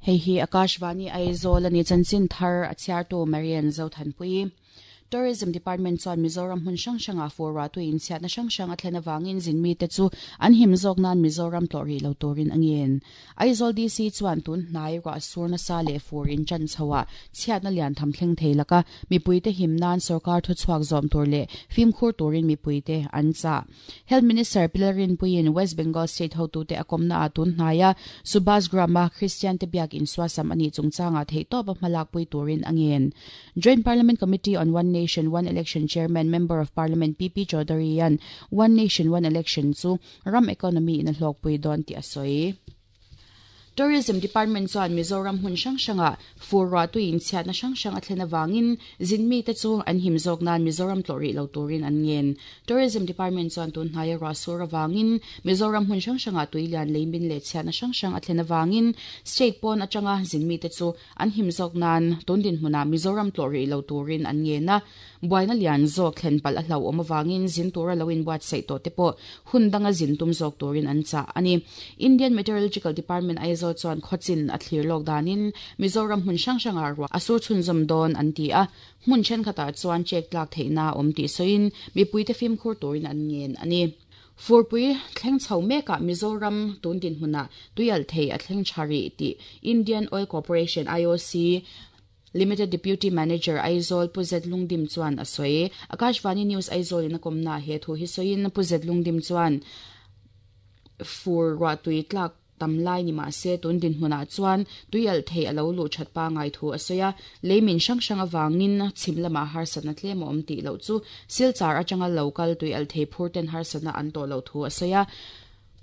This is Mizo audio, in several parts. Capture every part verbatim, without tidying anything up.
Hei hi Akashvani Aizawl ani chanchin thar a chhiartu Marian Zothanpui. Tourism Department chuan Mizoram hmun hrang hranga fur tu in chhiatna hrang hrang a thlen awangin zinmi te chu an him zawk nan Mizoram tlawh rih lo turin a ngen. Aizawl D C chuan tun hnai ruah sur nasa leh fur in chan chhoah chhiatna lian tham thleng thei laka mipui te him nan sarkar thu chhuak zawm tur leh fimkhur turin mipui te an cha. Health Minister Pilarin Puiin West Bengal State hotu te a kawmna a tun hnaia Subhas Grama Christian te biak in suasam ani chungchanga thei tawp a hmalak pui turin a ngen. Joint Parliament Committee on One Nation One Election Chairman Member of Parliament P P Chaudhary an One Nation One Election chu ram economy in a hlawk pui dawn ti a sawi. Tourism Department chuan Mizoram hmun hrang hranga fur ruah tu in chhiatna hrang hrang a thlen awangin zinmi te chu an him zawk nan Mizoram tlawh rih lo turin an ngen. Tourism Department chuan tun hnaia ruah sur awangin Mizoram hmun hrang hranga tuilian leimin leh chhiatna hrang hrang a thlen awangin state pawn atanga zinmi te chu an him zawk nan tun din hmuna Mizoram tlawh rih lo turin an ngen a. Buaina lian zawk thlen pal a hlau awm awangin zin tura lo in buat sei tawh te pawh hun danga zin tum zawk turin an cha ani. Indian Meteorological Department Aizawl chuan khawchin a thlir lawk danin Mizoram hmun hrang hranga ruah a sur chhunzawm dawn an ti a. Hmun thenkhatah chuan chek tlak theihna awm tih sawiin mipui te fimkhur turin an ngen ani. Furpui thleng chho mekah Mizoram tun din hmunah tuial thei a thleng thari tih Indian Oil Corporation I O C Limited Deputy Manager Aizawl Puzet Lungdim chuan a sawi. Akashvani News Aizawl in a kawmna he thu hi sawiin Puzet Lungdim chuan fur ruah tui tlak tamlai ni ma se tun din hmunah chuan tuial thei alo lu that pa ngai thu a sawi a. Leimin hrang hrang awangin chhim lama harsatna tlem a awm tih loh chu Silchar atanga local tuial thei phur ten harsatna an tawh lo thu a sawi a.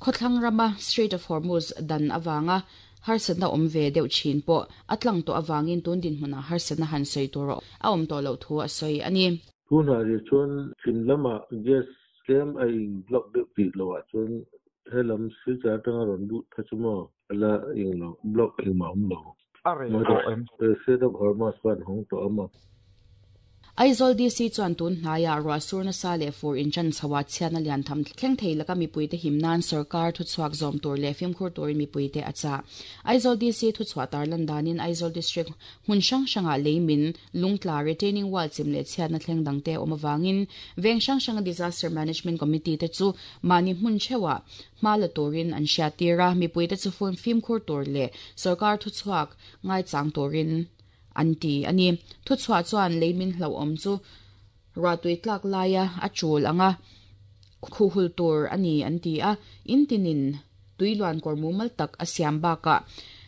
Khawthlang rama Strait of Hormuz dan awanga harsatna awm ve deuh thin pawh a tlang tawh awangin tun din hmunah harsatna han sawi tur a awm tawh lo thu a sawi ani. Tunah hi chuan chhim lama gas tlem a in block deuh tih lohah chuan helam Silchar atanga rawn lut kha chu maw ala eng lo block engmah awm lo. A reh tawh em? Strait of Hormuz khan hawng tawh awm a. Aizawl D C chuan tun hnaia ruah sur nasa leh fur in chan chhoah chhiatna lian tham thleng thei laka mipui te him nan sarkar thu chhuak zawm tur leh fimkhur turin mipui te a cha. Aizawl D C thu chhuah tarlan danin Aizawl District hmun hrang hranga leimin lungtla retaining wall chim leh chhiatna thleng dangte awm awangin veng hrang hranga Disaster Management Committee te chu mahni hmun theuhah hma la turin an hriat tir a. Mipui te chu fimkhur tur leh sarkar thu chhuak ngai chang turin an ti ani. Thu chhuah chuan leimin hlo awm chu ruah tui tlak laia a chul anga khuhul tur ani an ti a. In tinin tuiluan kawr mumal tak a siam bakah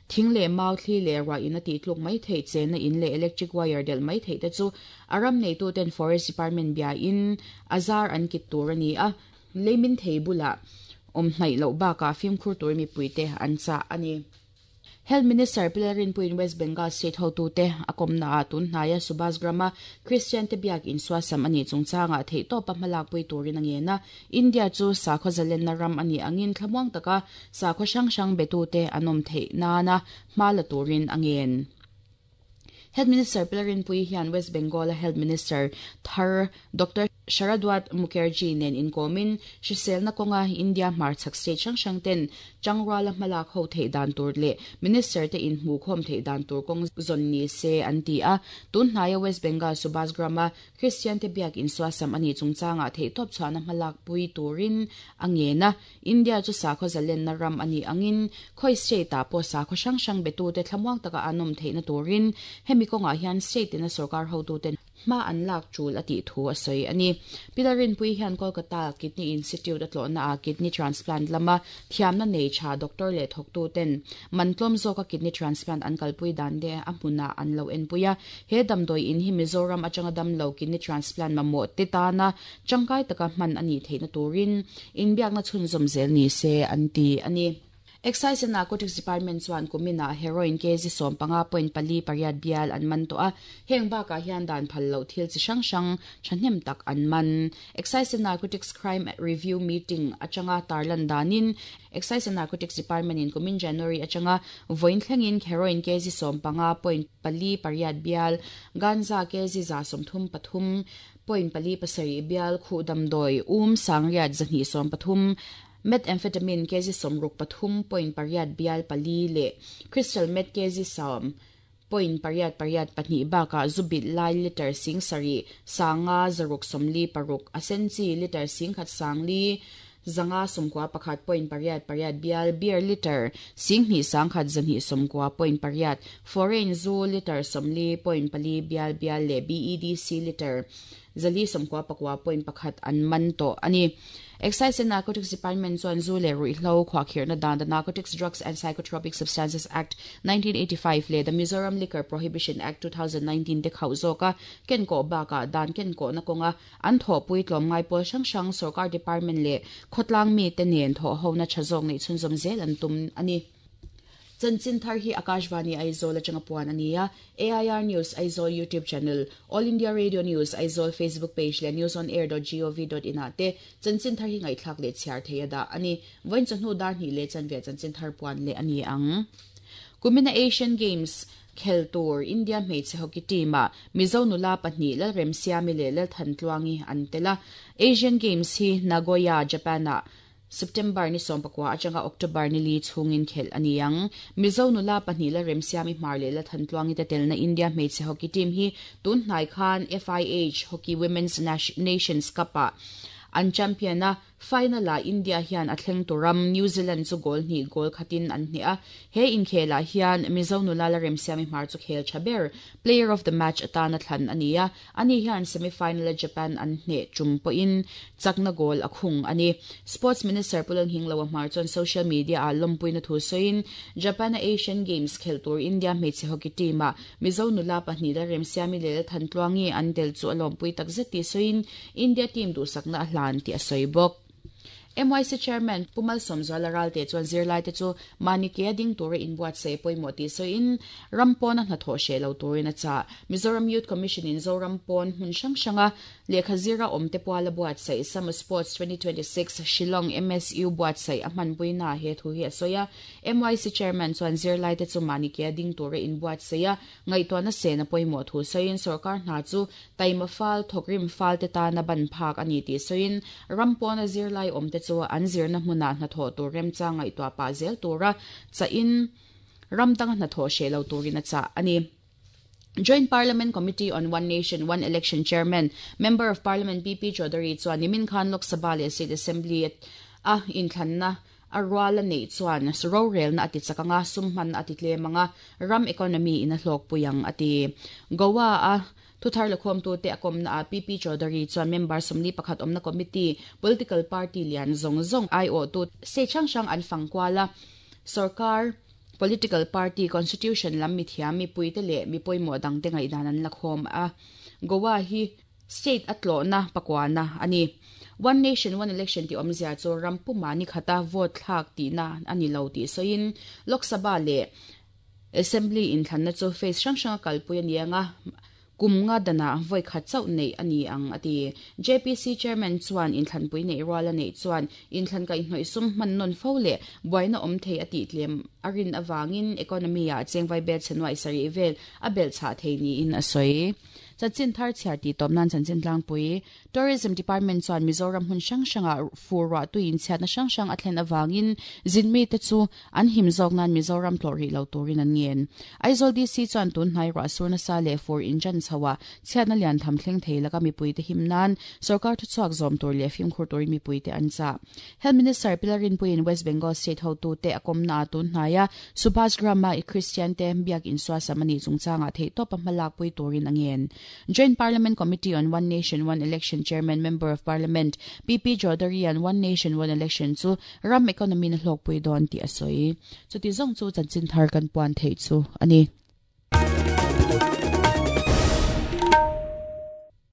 thing leh mau thli leh ruah in a tih tluk mai thei chenna in leh electric wire del mai thei te chu a ram neitu ten Forest Department bia in a zar an kit tur ani a. Leimin thei bulah awm hnaih loh bakah fimkhur tur mipui te an cha ani. Health Minister Pilarin Puiin West Bengal State hotu te a kawmna a tun hnaia Subhas Grama Christian te biak in suasam ani chungchanga thei tawp a hmalak pui turin a ngen a. India chu sakhaw zalenna ram ani angin thlamuang taka sakhaw hrang hrang betu te an awm theih nana hma la turin a ngen. Health Minister Pilarin Pui hian West Bengal Health Minister Thar Doctor Sharadwat Mukherjee nen inkomin hriselna kawnga India hmarchhak state hrang hrang ten changruala hmalak ho thei dan tur leh minister te in hmu khawm thei dan tur kawng zawn ni se an ti a. Tun hnaia West Bengal Subhas Grama Christian te biak in suasam ani chungchanga thei tawp chhuahna hmalak pui turin a ngen a. India chu sakhaw zalenna ram ani angin khawi state ah pawh sakhaw hrang hrang betu te thlamuang taka an awm theihna turin hemi kawngah hian state in a sarkar hotu ten hma an lak chul a tih thu a sawi ani. Pilarin Pui hian Kolkata Kidney Institute a tlawhna a kidney transplant lama thiamna nei tha doctor leh thawktu ten mantlawm zawka kidney transplant an kalpui dan te a hmunah an lo enpui a. He damdawi in hi Mizoram atanga damlo kidney transplant mamawh te tana tangkai taka hman ani theihna turin inbiakna chhunzawm zel ni se an ti ani. Excise and Narcotics Department chuan kumina heroin kg som panga point pali pariat bial an man to a. Heng bakah hian dan phal lo thil chi hrang hrang thahnem tak an man. Excise and Narcotics Crime Review Meeting atanga tarlan danin Excise and Narcotics Department in kumin January atanga voin thlengin heroin kg som panga point pali pariat bial ganza kg za som thum pathum point pali pasari bial khu damdoi um sangriat zahni som pathum Methamphetamine kg sawmruk pathum point pariat bial pali le crystal meth kg sawm point pariat pariat pahnih bakah zubit lai liter sing sarih sanga zaruk sawmli paruk asenchi liter sing khat sangli zanga sawmkua pakhat point pariat pariat bial beer liter sing hnih sangkhat zahnih sawmkua point pariat foreign zu liter sawmli point pali bial bial le B E D C liter zali sawmkua pakua point pakhat an man tawh ani. Excise and Narcotics Department chuan zu le ruihhlo khuahkhirhna dan the Narcotics Drugs and Psychotropic Substances Act nineteen eighty-five le the Mizoram Liquor Prohibition Act two thousand nineteen te khauh zawka ken kawh bakah dan ken kawhna kawnga an thawhpui tlawm ngai pawl hrang hrang sarkar department le khawtlang mi te nen thawh hona tha zawk nei chhunzawm zel an tum ani. Chanchin thar hi Akashvani Aizawl atanga puan ania A I R News Aizawl YouTube channel, All India Radio News Aizawl Facebook page le news on air dot gov dot in ate chanchin thar hi ngai thlak le chhiar theia da ani. Voin chahnu dar ni le chanve chanchin thar puan le ani ang. Kumina Asian Games khel tur India hmeichhe hockey team a Mizo nula pahnih Lalrem Siami le Lalthantluangi an tela. Asian Games hi Nagoya, Japan a September ni sawmpakua atanga October ni li chungin khel aniang. Mizo nula pahnih Lalrem Siami hmar le Lalthantluangi te telna India hmeichhe hockey team hi tun hnai khan F I H Hockey Women's Nations Cup a an champion a final a India hian a thleng turam New Zealand chu goal hnih goal khatin an hne a. He inkhela hian Mizo nula Lalrem Siami hmar chu khel thaber player of the match atana thlan ania. Ani hian semi-final a Japan an hne chum pawhin chakna goal a khung ani. Sports Minister Pulan Hinglo hmar chuan social media a lawmpuina thu sawiin Japan a Asian Games khel tur India hmeichhe hockey team a Mizo nula pahnih Lalrem Siami le Lalthantluangi an tel chu a lawmpui takzet ti sawiin India team duhsakna a hlan ti a sawi bawk. M Y C Chairman Pumal Somzuala Ralte chuan zirlai te chu mani ke ding tura inbuat sei pawimawh ti sawiin rampawn a hnathawh hreh lo turin a chah. Mizoram Youth Commission in Zoram pawn hmun hrang hranga lehkha zira awm te puala buat sei Summer Sports twenty twenty-six Shillong M S U buat sei a hmanpuina he thu hi a sawi a. M Y C Chairman chuan zirlai te chu mani ke ding tura inbuat sei a ngaihtuahna sena pawimawh thu sawiin sarkar hna chu taima fal thawkrim fal te tana ban phak ani ti sawiin rampawn a zirlai awm te chu an zirna hmuna hnathawh tur remcha ngaihtuah pah zel tura chahin ramdang hnathawh hreh lo turin a chah ani. Joint Parliament Committee on One Nation, One Election Chairman, Member of Parliament P P Chaudhary chuan nimin khan Lok Sabha leh State Assembly a inthlanna a ruala nei chuan ro relna ati chakanga sumhman ati tlemanga ram economy in a hlawk puyang ati. Goa a thuthar lakhom tu te akom na P P Chaudhary chuan member somli pakhat omna committee political party lian zong zong I O tu se chang chang an fangkwala sarkar political party constitution lam mi thiam mi puite le mi poimo dang te ngai dan an lakhom a. Goa hi state atlo na pakwana ani. One Nation One Election ti omzia chu rampuma ni khata vote thlak ti na ani lo ti soin Lok Sabha le Assembly in thlanna chu face hrang hrang kalpui anianga kumnga dana voi khat chau nei ani ang ati. J P C Chairman chuan in thlanpui nei ruala nei chuan in thlan kai hnoi sum man non fo le buaina om thei ati tlem arin awangin economy a chengwai bel chenwai sari vel a bel cha thei ni in asoi. Chanchin thar chhiar ti tawm nan chanchin tlangpui Tourism Department chuan Mizoram hun hrang hranga furwa tuin chhiatna hrang hrang a thlen awangin zinmi te chu an him zawk nan Mizoram tlawh rih lo turin an ngen. Aizawl D C chuan tun hnai ruah surna sa leh fur injan chhoa chhiatna lian tham thleng thei laka mipui te him nan sarkar thuchhuak zawm tur leh fimkhur turin mipui te an chah. Health Minister Pilarin Puiin West Bengal State hotu te a kawmna tun hnaia Subhash Grama i Christian te biak insua samani chungchanga thei tawp a hmalak pui turin a ngen. Joint Parliament Committee on One Nation, One Election Chairman, Member of Parliament P P Chaudhary and One Nation, One Election chu ram economy na hlawk pui dawn ti a sawi. Chuti zawng chu chanchin thar kan puan thei chu ani.